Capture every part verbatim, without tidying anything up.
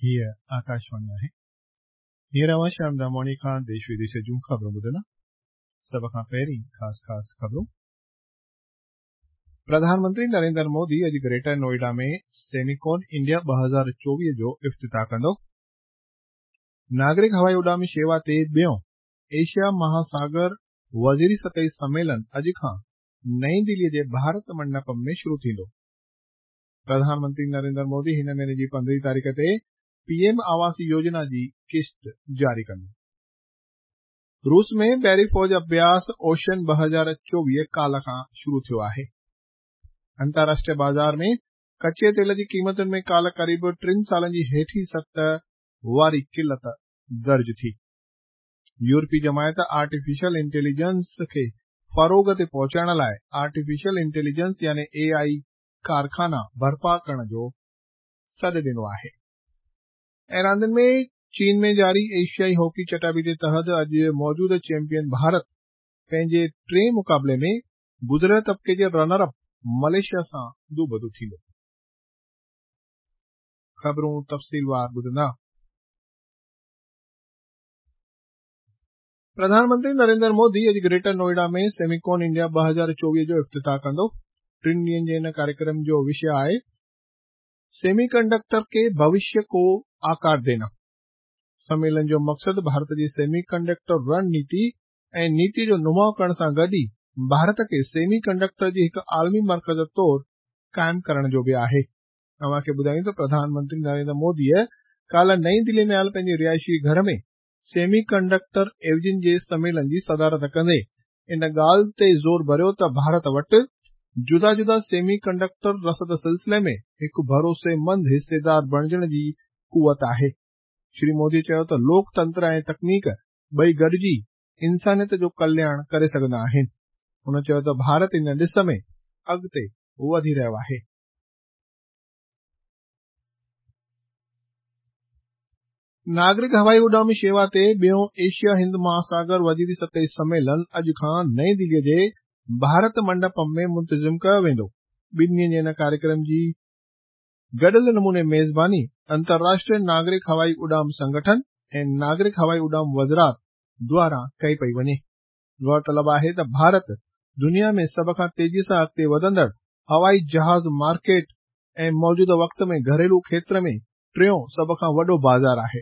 हीअ आकाशवाणी आहे। हींअर अवां श्याम दामोणी खां देश विदेश जूं ख़बरूं ॿुधंदा। सभ खां पहिरीं ख़ासि ख़ासि ख़बरूं। प्रधानमंत्री नरेंद्र मोदी अॼु ग्रेटर नोएडा में सेमिकॉन इंडिया ॿ हज़ार चोवीह जो इफ़्तिताह कंदो। नागरिक हवाई उॾाम शेवा ते ॿियों एशिया महासागर वज़ीरी सतही सम्मेलन अॼु खां नई दिल्लीअ जे भारत मंडपम में शुरू थींदो। प्रधानमंत्री नरेंद्र मोदी हिन महीने जी पंद्रहीं तारीख़ ते पीएम आवास योजना जी किश्त जारी कंदो। रूस में बहरी फौज अभ्यास ओशन ॿ हज़ार चोवीह काल्ह खां शुरू थियो आहे। अंतर्राष्ट्रीय बाज़ार में कच्चे तेल जी क़ीमतुनि में काल्ह क़रीब टिनि सालनि जी हेठी सतह वारी क़िलत दर्ज थी। यूरोपी जमायत आर्टिफिशियल इंटेलिजेंस खे फ़रोग़ ते पहुचाइण लाइ आर्टिफिशियल इंटेलिजेंस यानी ए आई कारखाना बर्पा करण जो सॾु ॾिनो आहे। ऐं रांदियुनि में चीन में जारी एशियाई हॉकी चटाबीटे तहत अॼु मौजूदा चैंपियन भारत पंहिंजे टे मुक़ाबले में गुज़िरियल तबक़े जे रनर अप मलेशिया सां रूबरू थींदो। ख़बरूं तफ़सीलवार ॿुधंदा। प्रधानमंत्री नरेंद्र मोदी अॼु ग्रेटर नोएडा में सेमिकॉन इंडिया ॿ हज़ार चोवीह जो इफ़्तिताह कंदो। टिनि ॾींहनि जे हिन कार्यक्रम जो विषय आहे सेमीकंडक्टर के भविष्य को आकार देना। सम्मेलन जो मक़सदु भारत जी सेमीकंडक्टर रणनीति ऐं नीति जो नुमाउ करण सां गॾु ई भारत खे सेमीकंडक्टर जी हिकु आलमी मर्कज़ तौर क़ाइमु करण जो बि आहे। अव्हां खे ॿुधायूं त प्रधानमंत्री नरेंद्र मोदीअ काल्ह नई दिल्ली में आयल पंहिंजे रिहाइशी घर में सेमीकंडक्टर एवज़िन जे सम्मेलन जी सदारत कंदे इन ॻाल्हि ते ज़ोर भरियो त भारत वटि जुदा जुदा सेमीकंडक्टर रसद सिलसिले में हिकु भरोसेमंद हिस्सेदार बणिजण जी कुवत आहे। श्री मोदी चयो त लोकतंत्र ऐं तकनीक ॿई गॾिजी इंसानियत जो कल्याण करे सघंदा आहिनि। हुन चयो त भारत इन ॾिस में अॻिते वधी रहियो आहे। नागरिक हवाई उॾाम शेवा ते ॿियों एशिया हिंद महासागर वज़ीरी सतही सम्मेलन अॼु खां नई दिल्लीअ जे भारत मंडपम में मुंतज़िम कयो वेंदो। ॿिनि ॾींहनि जे हिन कार्यक्रम जी गॾियल नमूने मेज़बानी अंतर्राष्ट्रीय नागरिक हवाई उॾाम संगठन ऐं नागरिक हवाई उॾाम वज़रात द्वारा कई पई वञे। गौरतलब आहे त भारत दुनिया में सभ खां तेज़ीअ सां अॻिते वधंदड़ हवाई जहाज़ मार्केट ऐं मौजूदा वक़्त में घरेलू क्षेत्र में टियों सभ खां वॾो बाज़ार आहे।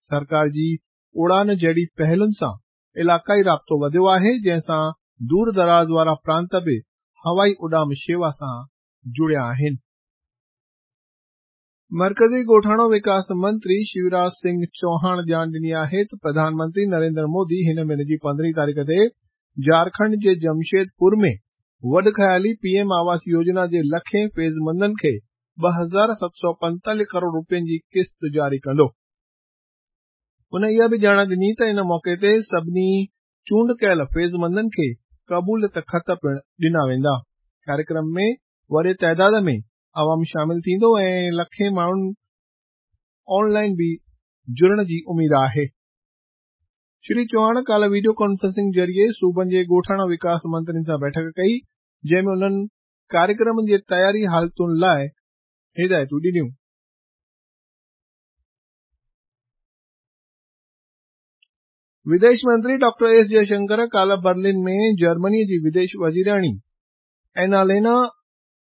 सरकार जी उड़ान जहिड़ी पहलुनि सां इलाक़ाई राब्तो वधियो आहे, जंहिं सां दूर दराज़ वारा प्रांत बि हवाई उॾाम शेवा सां जुड़िया आहिनि। मर्कज़ी ॻोठाणो विकास मंत्री शिवराज सिंह चौहान ॼाण ॾिनी आहे त प्रधानमंत्री नरेंद्र मोदी हिन महीने जी पंद्रहीं तारीख़ ते झारखंड जे जमशेदपुर में वॾ ख़याली पीएम आवास योजना जे लखें फैज़मंदनि खे ॿ हज़ार सत सौ पंजतालीह करोड़ रुपयनि जी किस्त जारी कंदो। हुन इहा बि ॼाण ॾिनी त इन मौक़े ते सभिनी चूंड कयल फैज़मंदनि खे क़बूलियत ख़त पिणु ॾिना वेंदा। कार्यक्रम में वॾे ताइदाद में अवाम शामिल थींदो ऐं लखें माण्हुनि ऑनलाइन बि जुड़ण जी उमेद आहे। श्री चौहान काल्ह वीडियो कॉन्फ्रेंसिंग ज़रिए सूबनि जे ॻोठाणा विकास मंत्रियुनि सां बैठक कई, जंहिं में उन्हनि कार्यक्रम जे तयारी हालतुनि लाइ हिदायतूं ॾिनियूं। विदेश मंत्री डॉक्टर एस जयशंकर काल्ह बर्लिन में जर्मनी जी विदेश वज़ीराणी एनालेना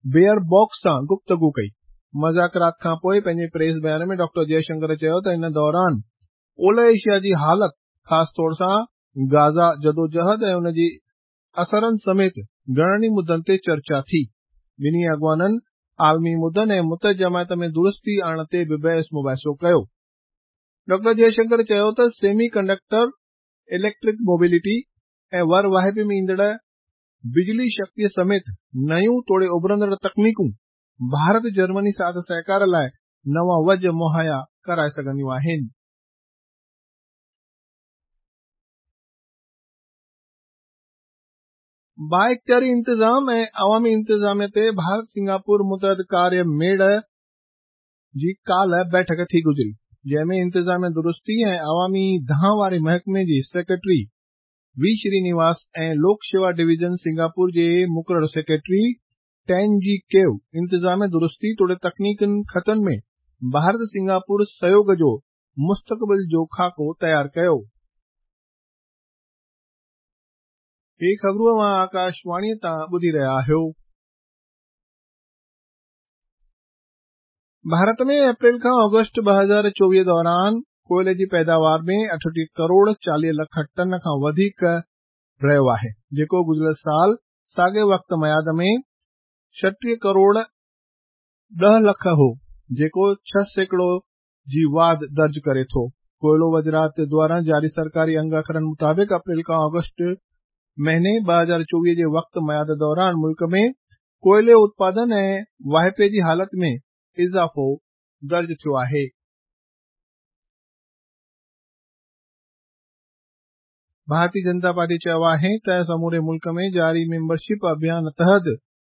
बेयरबॉक सां गुफ्तगू कई। मुज़ाकरात खां पोइ पंहिंजे प्रेस बयान में डॉक्टर जयशंकर चयो त इन दौरान ओलह एशिया जी हालत, ख़ासि तौर सां गाज़ा जदोजहद ऐं उन जी असरनि समेत घणनि मुद्दनि ते चर्चा थी। ॿिन्ही अॻवाननि आलमी मुद्दनि ऐं मुतहद जमायत में दुरुस्ती आणण ते बि बहस मुबाहिसो कयो। डॉक्टर जयशंकर चयो त सेमी कंडक्टर, इलेक्ट्रिक मोबिलिटी ऐं वर वाहिपे में ईंदड़ बिजली शक्तीअ समेत नयूं तोड़े उभरंदड़ तकनीकूं भारत जर्मनी साथ सहकार लाइ नवां वज मुहैया कराए सघंदियूं आहिनि। बाइख्तियारी इंतज़ाम ऐं अवामी इंतज़ामिया ते भारत सिंगापुर मुतहद कार्य मेड़ जी काल्ह बैठक थी गुज़री, जंहिं में इंतज़ामिया दुरुस्ती ऐं अवामी दांह वारे महकमे जी secretary V Srinivas ۽ Lok Seva division Singapore جي मुक़ररु सेक्रेटरी टेन जी केव इंतिज़ामी दुरुस्ती तोड़े तकनीकी ख़तनि में भारत सिंगापुर सहयोग जो मुस्तक़बिल जो ख़ाको तयारु कयो। ही ख़बरूं अव्हां आकाशवाणीअ तां ॿुधी रहिया आहियो। भारत में अप्रैल खां ऑगस्ट ॿ हज़ार चोवीह दौरान कोयले जी पैदावार में अठटीह करोड़ चालीह लख टन खां वधीक रहियो आहे, जेको गुज़िरियल साल साॻे वक़्त मयाद में छटीह करोड़ ॾह लख हो, जेको छह सैकड़ो जी वाध दर्ज करे थो। कोयलो वज़ारत द्वारा जारी सरकारी अंग अखरनि मुताबिक़ अप्रैल खां ऑगस्ट महीने ॿ हज़ार चोवीह जे वक़्त मयाद दौरान मुल्क में कोयले उत्पादन ऐं वाहिपे जी हालत में इज़ाफ़ो दर्ज थियो आहे। भारतीय जनता पार्टी चयो आहे त समूरे मुल्क में जारी मेंबरशिप अभियान तहत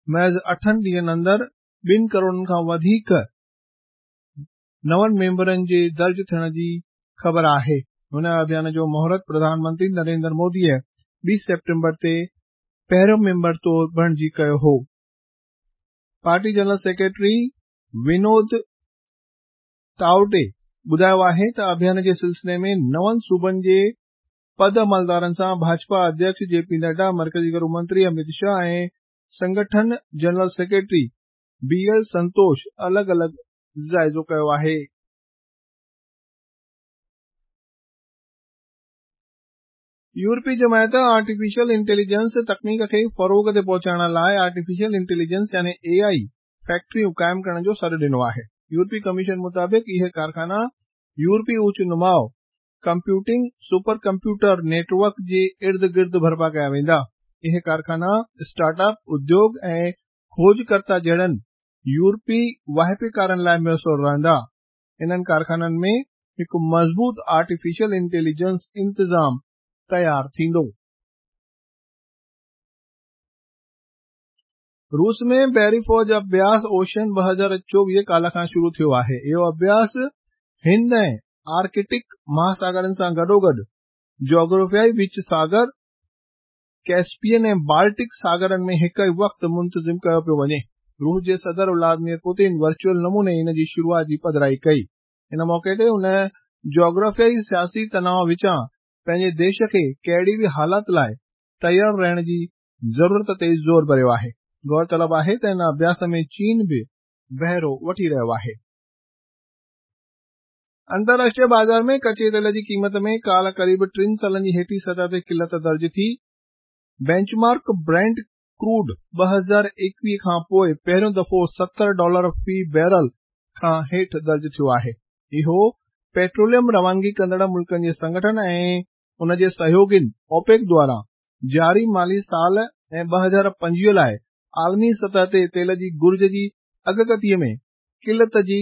महज़ अठनि ॾींहनि अंदरि ॿिनि करोड़नि खां वधीक नवनि मेंबरनि जे दर्ज थियण जी ख़बर आहे। हुन अभियान जो मुहूर्त प्रधानमंत्री नरेंद्र मोदीअ ॿी सेप्टेम्बर ते पहिरियों मेंबर तौर बणिजी कयो हो। Party general secretary Vinod Tawde ॿुधायो आहे त अभियान जे सिलसिले में नवनि सूबनि जे पद अमलदारनि सां भाजपा अध्यक्ष जे पी नड्डा, मर्कज़ी गृह मंत्री अमित शाह ऐं संगठन general secretary B L Santosh अलॻि अलॻि जाइज़ो कयो आहे। यूरोपी जमायत आर्टिफिशियल इंटेलिजेंस तकनीक खे फ़रोग़ ते पहुचाइण लाइ आर्टिफिशियल इंटेलिजेंस यानी ए आई फैक्ट्रियूं क़ाइमु करण जो सॾु ॾिनो आहे। यूरोपी कमीशन मुताबिक़ इहे कारख़ाना यूरोपी उच्च नुमाउ कंप्यूटिंग सुपर कंप्यूटर नेटवर्क जे इर्द गिर्द बर्पा कया वेंदा। इहे कारख़ाना स्टार्टअप, उद्योग ऐं खोजकर्ता जहिड़नि यूरोपी वाहिपेकारनि लाइ मुयसिर रहंदा। इन्हनि कारख़ाननि में हिकु मज़बूत आर्टिफिशियल इंटेलिजेंस इंतिज़ाम तयारु थींदो। रूस में बहरी फ़ौज अभ्यास ओशन ॿ हज़ार चोवीह काल खां शुरू थियो आहे। इहो अभ्यास हिंद ऐं आर्कटिक महासागरनि सां गॾोगॾु जोग्राफियाई विच सागर, कैस्पियन ऐं बाल्टिक सागरनि में हिक ई वक़्तु मुंतज़िम कयो पियो वञे। रूस जे सदर व्लादिमीर पुतिन वर्चुअल नमूने इन जी शुरूआत जी पधराई कई। इन मौक़े ते हुन जोग्राफियाई सियासी तनाव विचां पंहिंजे देश खे कहिड़ी बि हालत लाइ तयारु रहण जी ज़रूरत ते ज़ोर भरियो आहे। गौर तलब आहे त इन अभ्यास में चीन बि बहिरो वठी रहियो आहे। अंतर्राष्ट्रीय बाज़ार में कचे तेल जी क़ीमत में काल क़रीब टिनि सालनि जी हेठी सतह ते क़िलत दर्ज थी। बेंचमार्क ब्रेंट क्रूड ॿ हज़ार एकवीह खां पोइ पहिरियों दफ़ो सतरि डॉलर फी बैरल खां हेठि दर्ज थियो आहे। इहो पेट्रोलियम रवानगी कंदड़ मुल्कनि जे संगठन ऐं उन जे सहयोगियुनि ओपेक द्वारा जारी माली साल ऐं ॿ हज़ार पंजवीह लाइ आलमी सतह ते तेल जी घुर्ज जी अॻकथीअ में क़िलत जी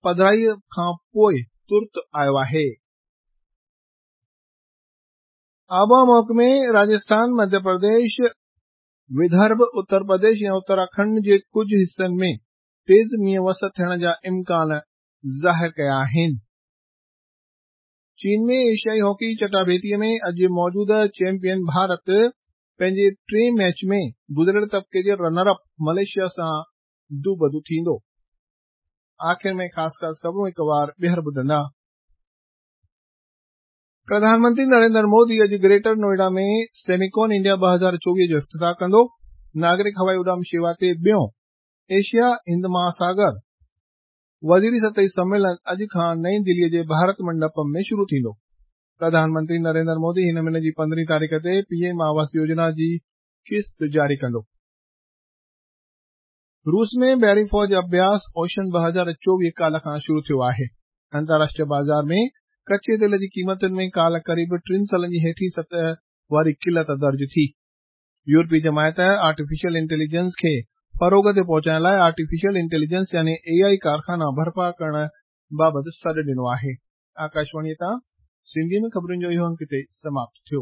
पधराईअ खां पोइ तुर्त आयो आहे। आबहावा महकमे राजस्थान, मध्य प्रदेश, विदर्भ, उत्तर प्रदेश ऐं उत्तराखंड जे कुझु हिसनि में तेज़ मींहुं वस थियण जा इम्कान ज़ाहिर कया आहिनि। चीन में एशियाई हॉकी चटाभेटीअ में अॼु मौजूदा चैंपियन भारत पंहिंजे टे मैच में गुज़िरियल तबक़े जे रनर अप मलेशिया सां दूबदू थींदो। आख़िर में ख़ासि ख़ासि ख़बरूं हिकु वार ॿीहर ॿुधंदा। प्रधानमंत्री नरेंद्र मोदी अॼु ग्रेटर नोएडा में सेमिकॉन इंडिया ॿ हज़ार चोवीह जो इफ़्तिताह कंदो। नागरिक हवाई उॾाम शेवा ते ॿियों एशिया हिंद महासागर वज़ीरी सतही सम्मेलन अॼु खां नई दिल्लीअ जे भारत मंडपम में शुरू थींदो। प्रधानमंत्री नरेंद्र मोदी हिन महीने जी पंद्रहीं तारीख़ ते पीएम आवास योजना जी क़िस्त जारी कंदो। रूस में बहरी फ़ौज अभ्यास ओशन ॿ हज़ार चोवीह काल खां शुरू थियो आहे। अंतर्राष्ट्रीय बाज़ार में कचे तेल जी क़ीमतुनि में काल क़रीब टिनि सालनि जी हेठी सतह वारी क़िलत दर्ज थी। यूरोपी जमायत आर्टिफिशियल इंटेलिजेंस खे फ़रोग़ ते पहुचाइण लाइ आर्टिफिशियल इंटेलिजेंस यानी ए आई कारख़ाना बर्पा करण बाबति सॾु ॾिनो आहे। आकाशवाणीअ तां सिंधी में ख़बरुनि जो इहो अंक हिते समाप्त थियो।